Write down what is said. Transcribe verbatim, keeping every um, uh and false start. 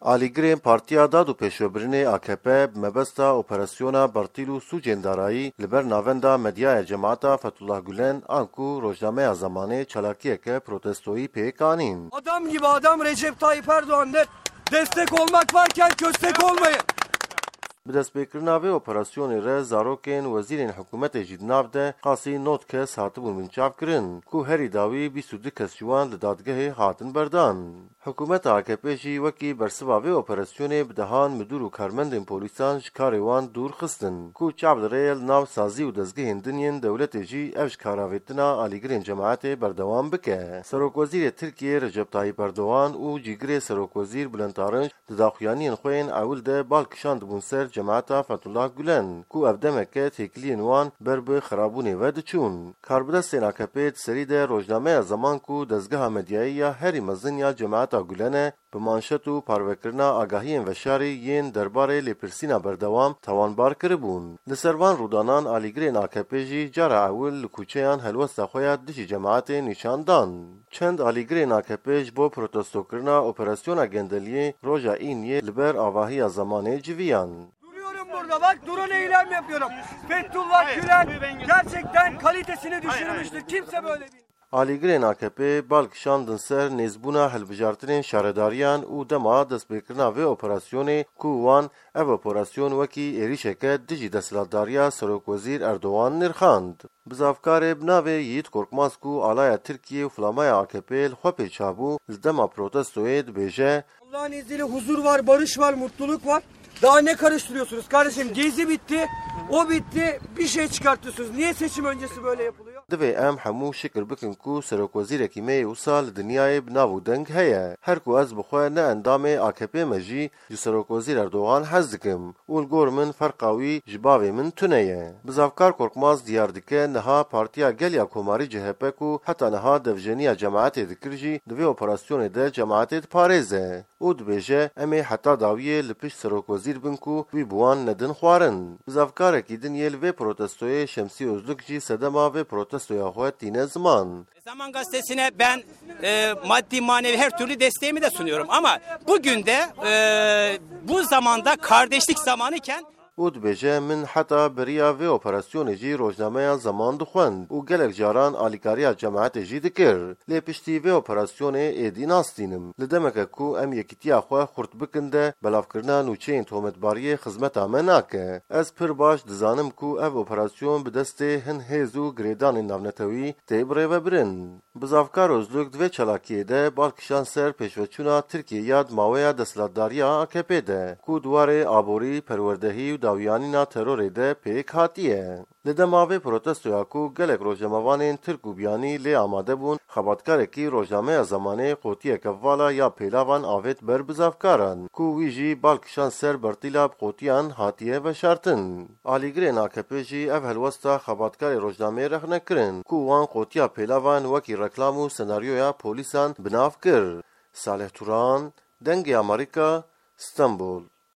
Alîgirên Partiya Dad û Pêşvebirinê A K P bi mebesta operasyona bertîl û sûcên darayî li ber navenda medyaya cemaeta Fethullah Gulen, anku rojnameya Zamanê çalakiyeke protestoyî pêk anîn. Adam gibi adam Recep Tayyip Erdoğan'dır. Destek olmak varken köstek olmayın. Bi destpêkirina vê operasyonê re zarokên wezîrên hikûmetê jî di nav de qasî nod kes hatibûn binçavkirin, ku herî dawî bîst û du kes ji wan li dadgehê hatin berdan. Hikûmeta A K P jî wekî bersiva vê operasyonê bi dehan midûr û karmendên polîsan ji karê wan dûr xistin, ku çav li rê ye li nav sazî û dezgehên din yên dewletê jî ev ji kar avêtina alîgirên cemaetê berdewam bike. Serokwezîrê Tirkiyê Recep Tayyip Erdogan û cîgirê Serokwezîr Bülent Arınç di daxuyaniyên xwe yên ewil de bal kişandibûn ser cemaeta Fethullah Gulen, ku ev demeke têkiliyên wan ber bi xirabûnê ve diçûn. Karbidestên A K P di serî de rojnameya Zaman, ku dezgeha medyayî ya herî mezin ya cemaeta Gulen e, bi manşet û parvekirina agahiyên veşarî yên derbarê lêpirsîna berdewam tawanbar kiribûn. Li ser van rûdanan alîgirên A K P jî cara ewil li kûçeyan helwesta xwe ya dijî cemaetê nîşan dan. Çend alîgirên A K P ji bo protestokirina operasyona gendeliyê roja Îniyê li ber avahiya Zamanê civiyan. Duruyorum burada bak, drone eylem yapıyorum. Fethullah Gülen gerçekten kalitesini düşürmüştü. Kimse böyle bir Alîgirên A K P bal kişandin ser nêzbûna hilbijartinên şaredariyan û dema destpêkirina vê operasyonê, ku wan ev operasyon wekî êrîşeke dijî desthilatdariya Serokwezîr Erdogan nirxand. Bizavkarê bi navê Yiğit Korkmaz, ku alaya Tirkiye û filamaya A K P li xwe pê çabû, li dema protestoyê dibêje: Allah'ın izniyle huzur var, barış var, mutluluk var. Daha ne karıştırıyorsunuz kardeşim? Gezi bitti, o bitti. Bir şey çıkartıyorsunuz. Niye seçim öncesi böyle yapılıyor? Divê em hemû şikir bikin, ku serokwezîrekî me yê wisa li dinyayê bi nav û deng heye. Her ku ez bi xwe ne endamê A K P me jî, ji Serokwezîr Erdogan hez dikim û li gor min ferqa wî ji bavê min tune ye. Bizavkar Korkmaz diyar dike, niha Partiya Gel ya Komarî, C H P, ku heta niha devjeniya cemaetê dikir jî, di vê operasyonê de cemaetê diparêze û dibêje, em ê heta dawiyê li pişt Serokwezîr bin, ku wî bi wan nedin xwarin. Bizavkarekî din yê li vê protestoyê, Şemsî Ozluk, jî sedema vê protestoya xwe tîne ziman. Zaman Gazetesi'ne ben, e, maddi manevi her türlü desteğimi de sunuyorum. Ama bugün de, e, bu zamanda kardeşlik zamanıken Û dibêje, min heta beriya vê operasyonê jî rojnameya Zaman dixwend û gelek caran alîkariya cemaetê jî dikir. Lê piştî vê operasyonê êdî nastînim. Li demeke ku em yekîtiya xwe xurt bikin de, belavkirina nûçeyên tometbariyê xizmeta me nake. Ez pir baş dizanim ku ev operasyon bi destê hin hêz û girêdanên navnetewî tê birêvebirin. Bizavkar Ozluk di vê çalakiyê de bal kişand ser pêşveçûna Tirkiyê ya di maweya desthilatdariya A K P de, ku di warê aborî, perwerdehî û dawiyanîna terorê de pêk hatiye. Li dema vê protestoya ku gelek rojnamevanên Tirk û biyanî lê amade bûn, xebatkarekî rojnameya Zamanê qotiyeke vala ya pêlavan avêt ber bizavkaran, ku wî jî bal kişand ser bertîla bi qotiyan hatiye veşartin. Alîgirên A K P jî ev helwesta xebatkarê rojnameyê rexne kirin, ku wan qotiya pêlavan wekî reklam û senaryoya polîsan bi nav kir. Salih Turan, Dengê Amerîka, Stenbol.